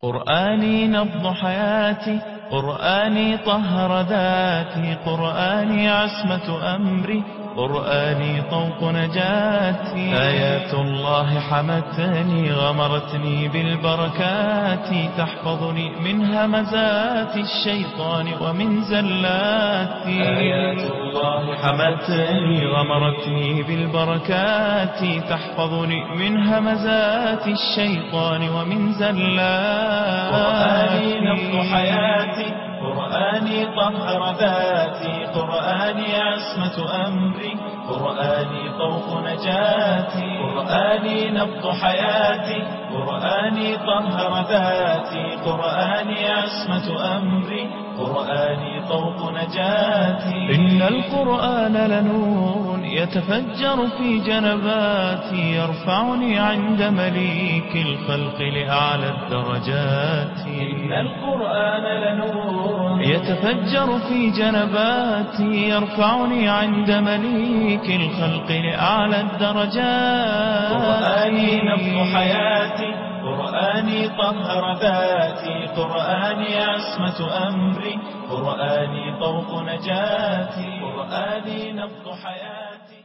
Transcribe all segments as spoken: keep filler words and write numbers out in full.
قرآني نبض حياتي، قرآني طهر ذاتي، قرآني عصمة أمري، قرآني طوق نجاتي. آيات الله حمتني غمرتني بالبركات، تحفظني من همزات الشيطان ومن زلاتي. آيات الله حمتني غمرتني بالبركات، تحفظني من همزات الشيطان ومن زلاتي. قرآني نبض حياتي، قرآني طهر ذاتي، قرآني عصمة أمري، قرآني طوق نجاتي. قرآني نبض حياتي، قرآني طهر ذاتي، قرآني عصمة أمري، قرآني طوق نجاتي. إن القرآن لنور يتفجر في جنباتي، يرفعني عند مليك الخلق لأعلى الدرجات. إن القرآن لنور يتفجر في جنباتي، يرفعني عند مليك الخلق لأعلى الدرجات. قرآني نبض حياتي، قرآني طهر ذاتي، قرآني عصمة أمري، قرآني طوق نجاتي. قرآني نبض حياتي.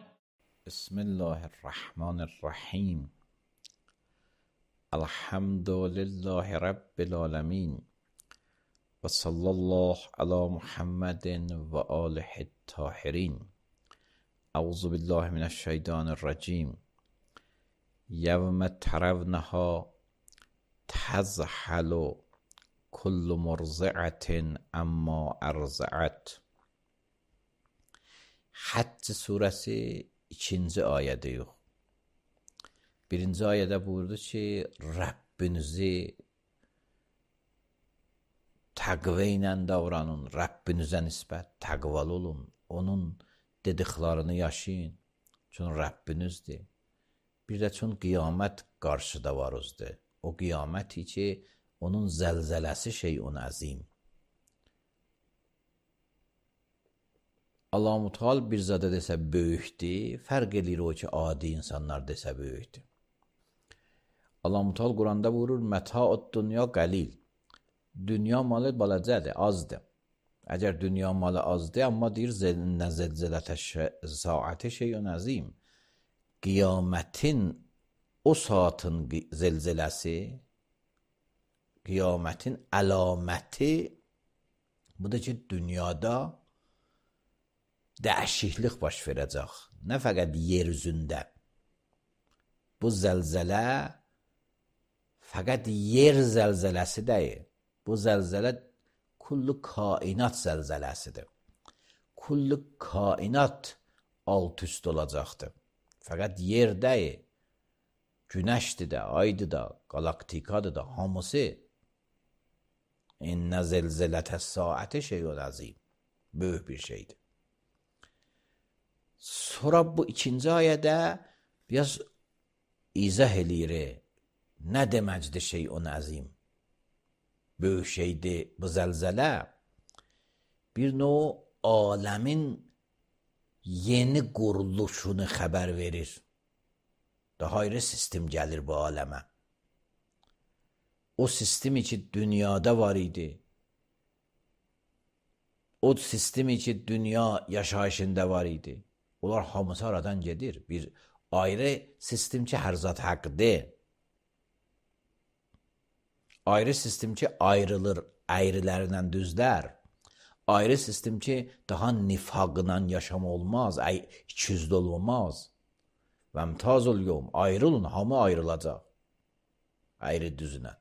بسم الله الرحمن الرحیم. الحمد لله رب العالمین و صلی الله علی محمد و آله الطاهرین. اعوذ بالله من الشیطان الرجیم. یوم ترونها تذهل كل مرضعة عما ارضعت. Həcc surəsi ikinci ayədir. Birinci ayədə buyurdu ki, Rəbbinizi təqvə ilə davranın, Rəbbinizə nisbət təqvalı olun, onun dediklərini yaşayın, çünki Rəbbinizdir. Bir də çünki qiyamət qarşıda var özdə. O qiyaməti ki, onun zəlzələsi şeyun əzim. Allah Muteal bir zada desə böyükdür, fərq edir o ki, adi insanlar desə böyükdür. Allah Muteal Quranda buyurur, Məta'ud dünya qəlil. Dünya malı balacədir, azdır. Əgər dünya malı azdır, amma deyir, nə zəlzələtə saati şeyun əzim. Qiyamətin o saatın zəlzələsi, qiyamətin əlaməti budur ki, dünyada dəyişiklik baş verəcək. Nə fəqət yer üzündə. Bu zəlzələ fəqət yer zəlzələsi deyil. Bu zəlzələ kullu kainat zəlzələsidir. Kullu kainat alt üst olacaqdır. Fəqət yer deyil. Günəşdir də, aydır da, qalaktikadır da, hamısı. İnnə zəlzələtə saati şeyun əzim. Böyük bir şeydir. Sonra bu ikinci ayədə biraz izah eləyir. Nə deməkdir şeyun əzim? Böyük şeydir bu zəlzələ. Bir növ aləmin yeni quruluşunu xəbər verir. Daha ayrı sistem gəlir bu aləmə. O sistemi ki, dünyada var idi. O sistemi ki, dünya yaşayışında var idi. Onlar hamısı aradan gedir. Bir ayrı sistem ki, hər zat haqqdır. Ayrı sistem ki, ayrılır əyrilərindən düzlər. Ayrı sistem ki, daha nifaqla yaşam olmaz, ikiyüzlü olmaz. Və mtazul yom, ayrılın, hamı ayrılacaq. Ayrı düzünə.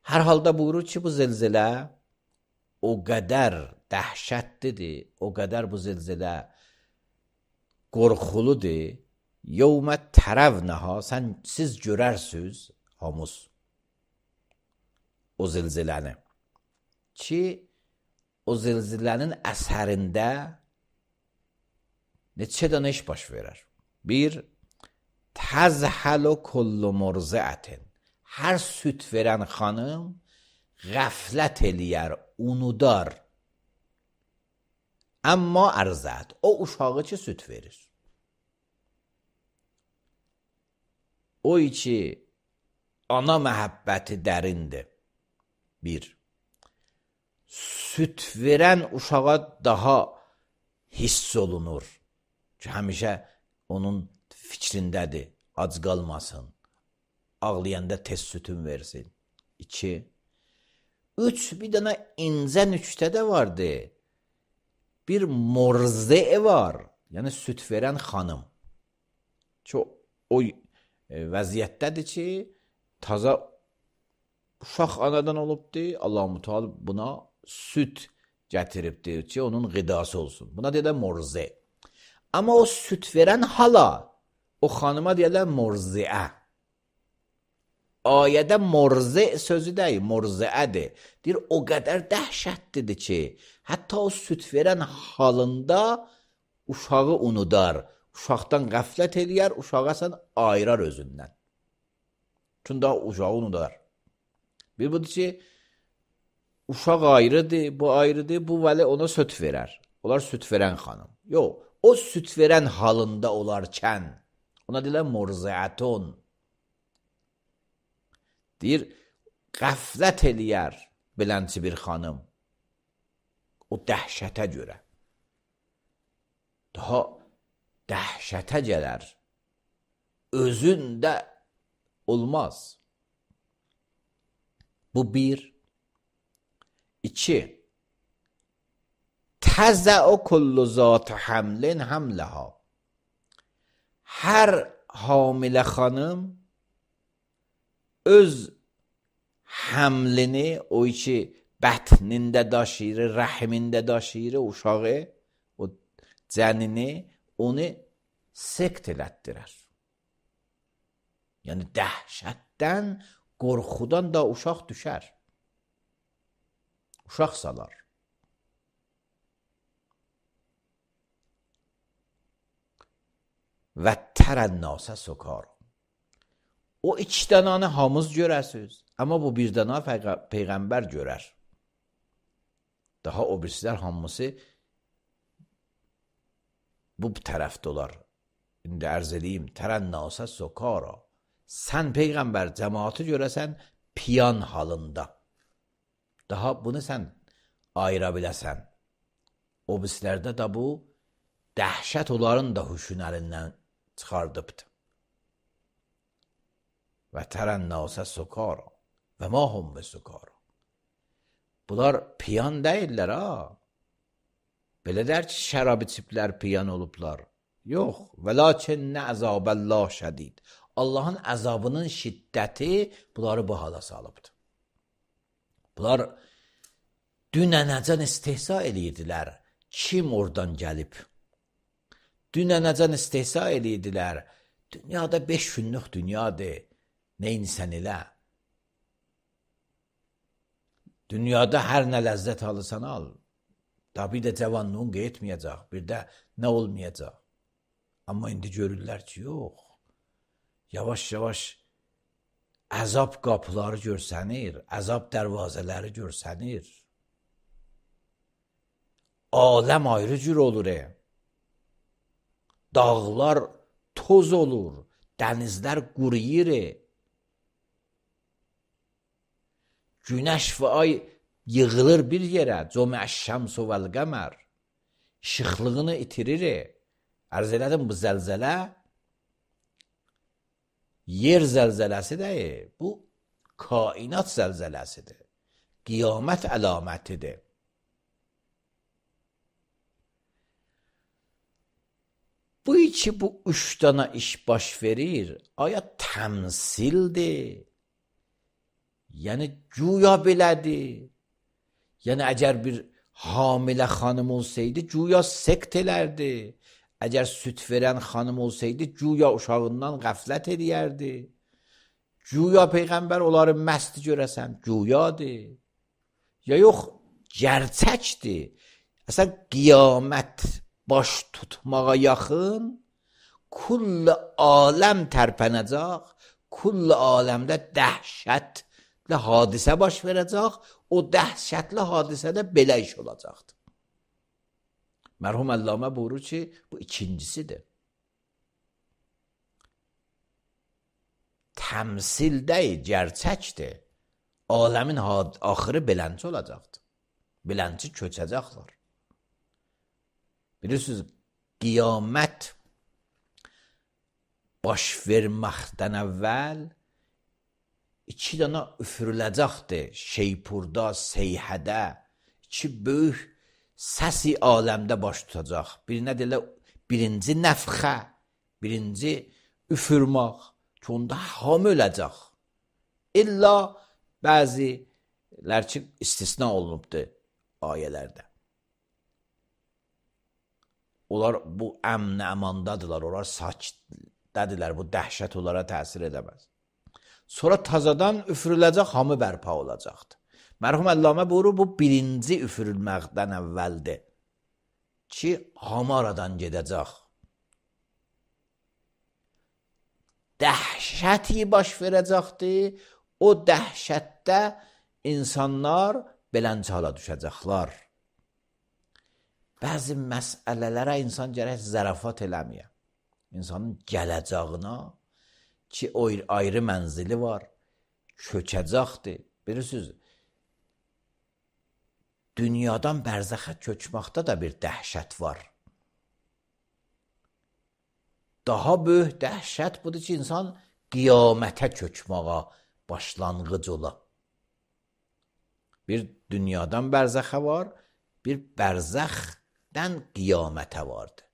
Hər halda buyurur ki, bu zəlzələ o qədər dəhşətlidir, o qədər bu zəlzələ qorxuludur. Yevmə tərəvnəha, sən, siz görərsiniz, hamız, o zəlzələni. Ki, o zəlzələnin əsərində neçə dənə iş baş verər. Bir, təzhəlu kullu murziətin. Hər süt verən xanım qəflət eləyər, unudar. Amma ərzət, o uşağı ki, süt verir. O ki, ana məhəbbəti dərindir. Bir, süt verən uşağa daha hiss olunur ki, həmişə onun fikrindədir, ac qalmasın, ağlayanda tez sütün versin. İki, üç, bir dənə incə nüktə də vardı. Bir morze var, yəni süt verən xanım. Ki, o vəziyyətdədir ki, taza uşaq anadan olubdur, Allah-u Teala buna süt gətiribdir ki, onun qidası olsun. Buna deyirlər morze. Amma o süt verən hala, o xanıma deyirlər morzeə. Ayədə morze sözü deyil, morzeədir. Deyir, o qədər dəhşətlidir ki, hətta o süt verən halında uşağı unudar, uşaqdan qəflət eləyər, uşağa sən ayırar özündən. Çünki daha uşağı unudar. Bir budur ki, uşaq ayrıdır, bu ayrıdır, bu vəli ona süt verər. Onlar süt verən xanım. Yox, o süt verən halında olarkən, ona deyirlər morzeətun. Deyir, qəflət eləyər bilənçi bir xanım. O dəhşətə görə. Daha dəhşətə gələr. Özündə olmaz. Bu bir. İki. Təzə o kullu zat həmlin həmləha. Hər hamilə xanım öz həmlini, o ki bətnində daşıyır, rəhmində daşıyır, uşağı, o cənini, onu sekt elətdirər. Yəni dəhşətdən, qorxudan da uşaq düşər. Uşaq salar. Və tərənnəsə sokar. O iki dənanı hamız görəsiz, amma bu bir dana Peyğəmbər görər. Daha o birisilər hamısı bu tərəfdə olar. İndi ərz edeyim, tərənnəsə sokara. Sən Peyğəmbər cəmaatı görəsən piyan halında. Daha bunu sən ayıra biləsən. O birislərdə də bu dəhşət onların da huşun əlindən çıxardıbdır. Və tərənnəsə sokara və mahum və sokara. Bunlar piyan deyirlər ha. Belə der ki, şərab içiblər, piyan olublar. Yox, və lakin nə əzabəllah şədid. Allahın əzabının şiddəti bunları bu hala salıbdır. Bunlar dünənəcən istehza edirdilər. Kim oradan gəlib? Dünənəcən istehza edirdilər. Dünyada beş günlük dünyadır. Neynisən elə? Dünyada hər nə ləzzət alırsan al. Da bir də cavanlığın qeytməyəcək, bir də nə olmayacaq. Amma indi görürlər ki, yox. Yavaş-yavaş əzab qapıları görsənir, əzab dərvazələri görsənir. Aləm ayrı cür olur. E. Dağlar toz olur, dənizlər quruyur. E. Günəş və ay yığılır bir yerə, cəməş-şəmsu vəl-qəmər. İşıqlığını itirir. Ərz elədim, bu zəlzələ yer zəlzələsi deyil. Bu kainat zəlzələsidir. Qiyamət əlamətidir. Bu iki, bu üç dana iş baş verir. Aya təmsildir. Yəni güya belədir. Yəni əgər bir hamilə xanım olsaydı, güya sekt elərdi. Əgər süt verən xanım olsaydı, güya uşağından qəflət edərdi. Güya Peyğəmbər onları məst görəsən, güyadır. Ya yox, gerçəkdir. Əsən qiyamət baş tutmağa yaxın, kull aləm tərpənəcək, kull aləmdə dəhşətli hadisə baş verəcək, o dəhşətli hadisədə belə iş olacaqdır. Mərhum Əllamə buyurur ki, bu ikincisidir. təmsil deyil, gerçəkdir. Aləmin axırı beləncə olacaqdır. Beləncə köçəcəklər. Bilirsiniz, qiyamət baş verməkdən əvvəl iki dana üfürüləcəkdir. Şeypurda, seyhədə, iki böyük səsi aləmdə baş tutacaq. Birinə deyirlər, birinci nəfxə, birinci üfürmək ki, onda hamı öləcək. İlla bəzilər ki, istisna olunubdur ayələrdə. Onlar bu əmn əmandadırlar, onlar sakitdədirlər, bu dəhşət onlara təsir edəməz. Sonra tazadan üfürüləcək, hamı bərpa olacaqdır. Mərhum Əllamə buyurur, bu birinci üfürülməkdən əvvəldir ki, hamı aradan gedəcək. Dəhşəti baş verəcəkdir, o dəhşətdə insanlar beləncə hala düşəcəklər. Bəzi məsələlərə insan gərək zərafat eləməyə. İnsanın gələcəyinə ki, ayrı mənzili var, köçəcəkdir. Bilirsiniz, dünyadan bərzəxə köçməkdə də bir dəhşət var. Daha böyük dəhşət budur ki, insan qiyamətə köçməyə başlanğıc ola. Bir dünyadan bərzəxə var, bir bərzəxdən qiyamətə vardır.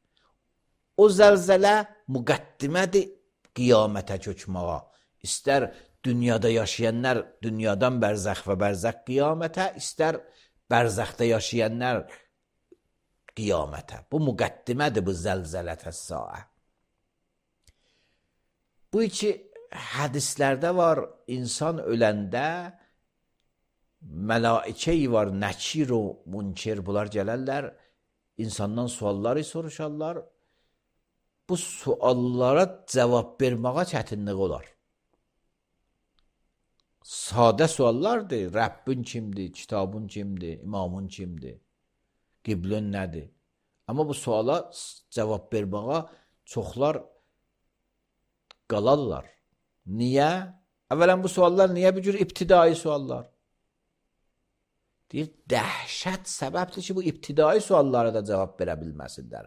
O zəlzələ müqəddimədir qiyamətə köçməyə. İstər dünyada yaşayanlar dünyadan bərzəx və bərzəx qiyamətə, istər bərzəxdə yaşayanlar qiyamətə. Bu müqəddimədir bu zəlzələtə saə. Bu iki hədislərdə var, insan öləndə mələikəyi var, nəkir o münkir, bunlar gələrlər, insandan sualları soruşarlar. Bu suallara cavab verməyə çətinlik olar. Sadə suallardır. Rəbbin kimdir, kitabın kimdir, imamın kimdir, qiblin nədir? Amma bu suala cavab verməyə çoxlar qalarlar. Niyə? Əvvələn bu suallar niyə bir cür ibtidai suallar? Deyir, dəhşət səbəbdir ki, bu ibtidai suallara da cavab verə bilməsinlər.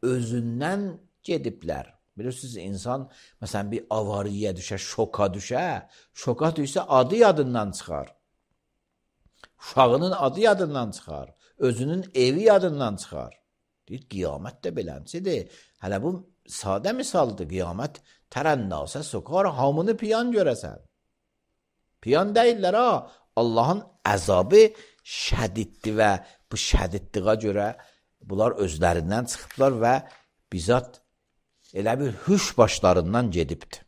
Özündən gediblər. Bilirsiniz, insan məsələn bir avariyə düşə, şoka düşə, şoka düşsə adı yadından çıxar. Uşağının adı yadından çıxar. Özünün evi yadından çıxar. Deyir, qiyamət də beləncidir. Hələ bu sadə misaldır. Qiyamət tərənnəsə sokar, hamını piyan görəsən. Piyan deyirlər, ha, Allahın əzabı şədiddir və bu şədidliğə görə bunlar özlərindən çıxıblar və bizzat elə bir hüş başlarından gedibdir.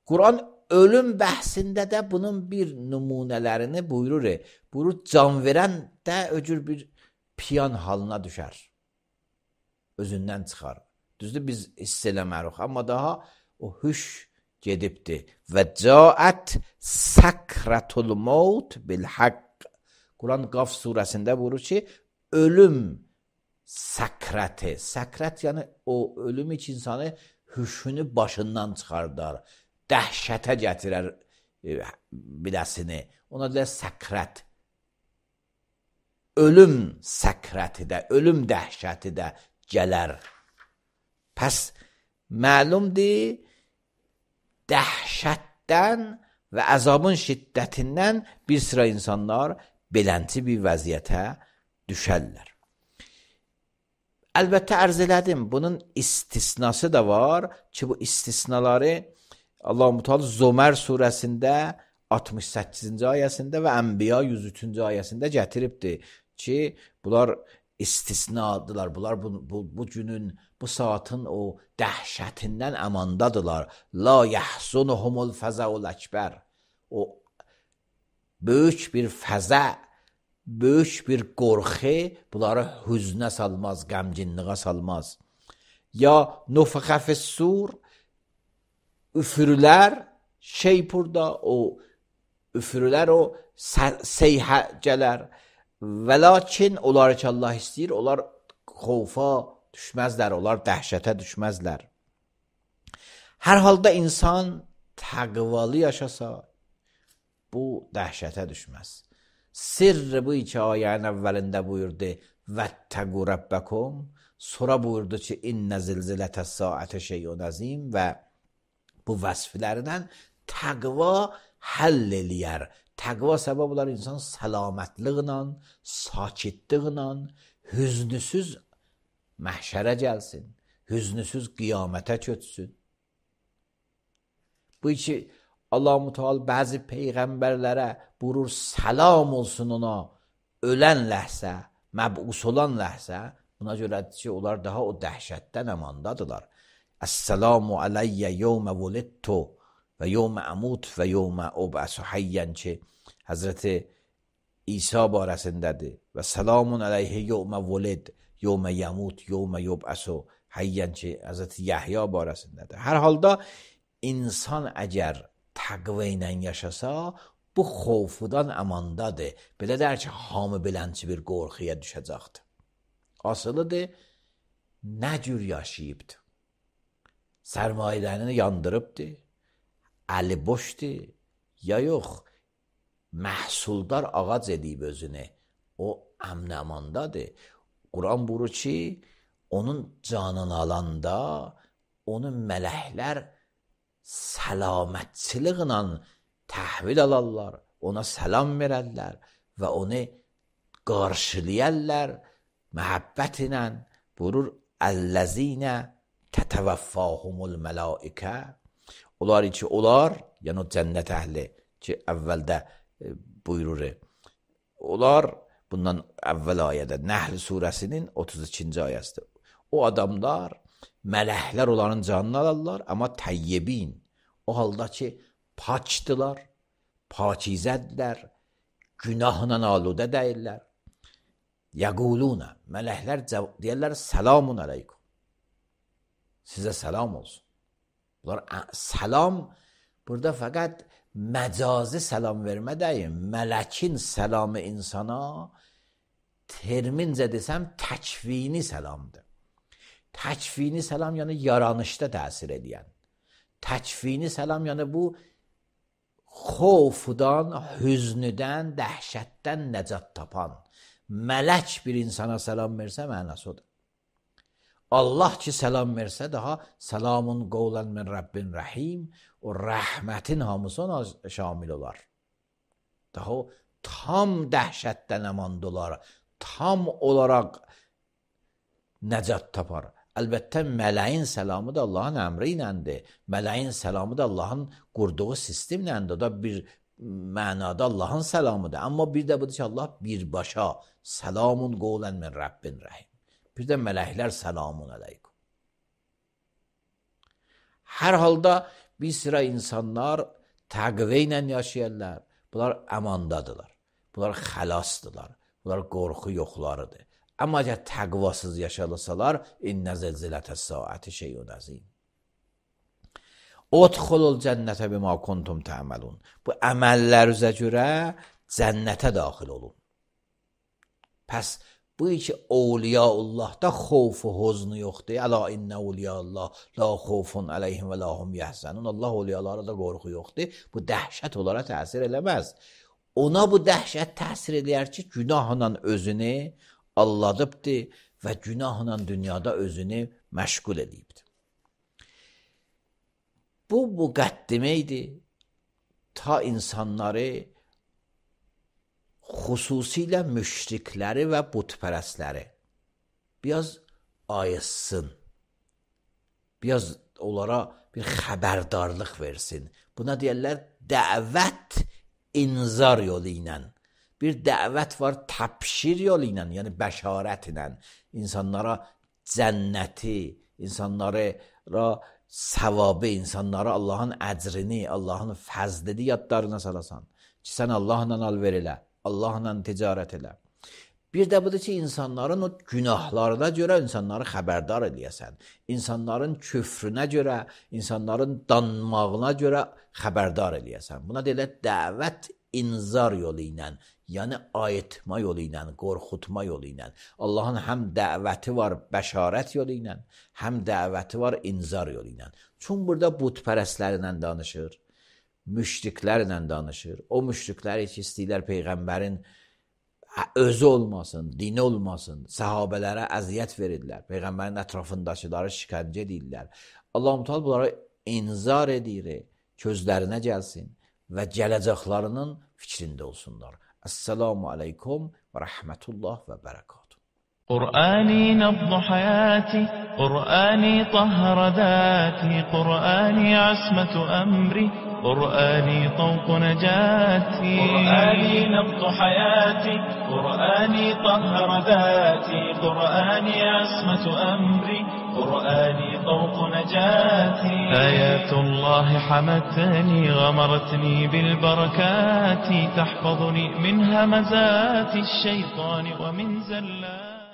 Quran ölüm bəhsində də bunun bir nümunələrini buyurur. Buyurur, can verən də öcür bir piyan halına düşər. Özündən çıxar. Düzdür, biz hiss eləmərik, amma daha o hüş gedibdir. Və caət səkratul maut bil haqq. Quran Qaf surəsində buyurur ki, ölüm səkrəti. Səkrət yəni o ölüm iç insanı hüşünü başından çıxardar. Dəhşətə gətirər biləsini. Ona deyilər səkrət. Ölüm səkrəti də, ölüm dəhşəti də gələr. Pəs məlumdur, dəhşətdən və əzabın şiddətindən bir sıra insanlar beləncə bir vəziyyətə düşərlər. Əlbəttə ərz elədim, bunun istisnası da var ki, bu istisnaları Allah-u Teala Zömər surəsində altmış səkkizinci ayəsində və Ənbiya yüz üçüncü ayəsində gətiribdir ki, bunlar istisnadılar, bunlar bu, bu, bu günün, bu saatın o dəhşətindən əmandadılar. La yəhzunuhumul fəzəul əkbər. O böyük bir fəzə, böyük bir qorxu bunları hüznə salmaz, qəmginliğə salmaz. Ya nufxə fissur, üfürülər, şey burada, o üfürülər, o seyhə gələr. Və lakin onlar ki, Allah istəyir, onlar xofa düşməzlər, onlar dəhşətə düşməzlər. Hər halda insan təqvalı yaşasa, bu dəhşətə düşməz. Sirri bu iki ayənin əvvəlində buyurdu, vəttəqu rəbbəkum, sonra buyurdu ki, innə zilzilətəs saətə şeyun əzim və bu vəsflərlə təqva həll eləyər. Təqva səbəb olar insan səlamətliqlə, sakitliqlə, hüznüsüz məhşərə gəlsin, hüznüsüz qiyamətə köçsün. Bu iki Allah-u Teala bəzi peyğəmbərlərə buyurur, salam olsun ona, ölən ləhsə, məbus olan ləhsə, buna görədir ki, onlar daha o dəhşətdən əmandadılar. Əssəlamu aleyyə yevmə vulidtu və yevmə əmut və yevmə ub'asu hayyan ki, Həzrəti İsa barəsindədir. Və salamun aleyhi yevmə vulid, yevmə yəmut, yevmə yub'asu hayyan ki, Həzrəti Yəhya barəsindədir. Hər halda insan əgər təqvə ilə yaşasa, bu xovfudan əmandadır. Belə der ki, hamı bilənçi bir qorxuya düşəcəkdir. Asılıdır, nə cür yaşayıbdır? Sərmayələrini yandırıbdır, əli boşdur, ya yox, məhsuldar ağac edib özünü, o əmn əmandadır. Quran buyurur ki, onun canını alanda, onun mələklər səlamətçiliklə təhvil alarlar, ona səlam verərlər və onu qarşılayarlar məhəbbət ilə. Buyurur, əl-ləzinə tətəvəffahumul mələikə. Onlar ki, onlar, yəni o cənnət əhli ki, əvvəldə buyurur, onlar, bundan əvvəl ayədə, Nəhl surəsinin otuz ikinci ayəsidir. O adamlar, mələklər onların canını alırlar, amma təyyibin, o halda ki, pakdılar, pakizədlər, günahla aludə deyirlər. Yəquluna, mələklər deyirlər, selamun aleykum. Sizə salam olsun. Bunlar salam, burada fəqət məcazi salam vermə deyil, mələkin salamı insana, termincə desəm, təkvini salamdır. Təkvini salam, yəni yaranışda təsir edən. Təkvini salam, yəni bu xovdan, hüznüdən, dəhşətdən nəcat tapan. Mələk bir insana salam versə, mənası odur. Allah ki salam versə, daha salamun qovlan min Rabbin rəhim, o rəhmətin hamısı ona şamil olar. Daha o tam dəhşətdən əmanda olar, tam olaraq nəcat tapar. Əlbəttə, mələyin səlamı da Allahın əmri iləndir. Mələyin səlamı da Allahın qurduğu sistemləndir. O da bir mənada Allahın səlamıdır. Amma bir də budur ki, Allah birbaşa səlamun qovlən min Rabbin rəhim. Bir də mələklər səlamun aleykum. Hər halda bir sıra insanlar təqvə ilə yaşayırlar. Bunlar əmandadılar. Bunlar xəlasdılar. Bunlar qorxu yoxlarıdır. Amma əgər təqvasız yaşalısalar, innə zilzilətəs saəti şeyun əzim. Udxulul cənnətə bimə kuntum tə'məlun. Bu əməllərinizə görə cənnətə daxil olun. Pəs bu iki Awliyaullahda xovfu, huznu yoxdur. Əla innə Awliyaullah la xovfun əleyhim və la hum yəhzənun. Allah awliyalara da qorxu yoxdur. Bu dəhşət onlara təsir eləməz. Ona bu dəhşət təsir eləyər ki, günahla özünü alladıbdır və günahla dünyada özünü məşğul edibdir. Bu müqəddimə idi ta insanları, xüsusilə müşrikləri və butpərəstləri biraz ayıtsın, biraz onlara bir xəbərdarlıq versin. Buna deyərlər dəvət inzar yolu ilə. Bir dəvət var təbşir yolu ilə, yəni bəşarət ilə. İnsanlara cənnəti, insanlara savabı, insanlara Allahın əcrini, Allahın fəzlini yadlarına salasan. Ki, sən Allahla alver elə, Allahla ticarət elə. Bir də budur ki, insanların o günahlarına görə insanları xəbərdar eləyəsən. İnsanların küfrünə görə, insanların danmağına görə xəbərdar eləyəsən. Buna deyilər dəvət inzar yolu ilə, yəni ayetma yolu ilə, qorxutma yolu ilə. Allahın həm dəvəti var bəşarət yolu ilə, həm dəvəti var inzar yolu ilə. Çünki burada butpərəstlərlə danışır, müşriklərlə danışır. O müşriklər ki, istəyirlər Peyğəmbərin özü olmasın, dini olmasın, səhabələrə əziyyət verirlər, Peyğəmbərin ətrafındakıları şikəncə edirlər. Allah-u Teala bunlara inzar edir, közlərinə gəlsin və gələcəklərinin fikrində olsunlar. Esselamu aleykum və rəhmətullah və bərəkatuhu. قرآني نبض حياتي قرآني طهر ذاتي قرآني عصمة أمري قرآني طوق نجاتي قرآني نبض حياتي قرآني طهر ذاتي قرآني عصمة أمري قرآني طوق نجاتي آيات الله حمتني غمرتني بالبركات تحفظني من همزات الشيطان ومن زلات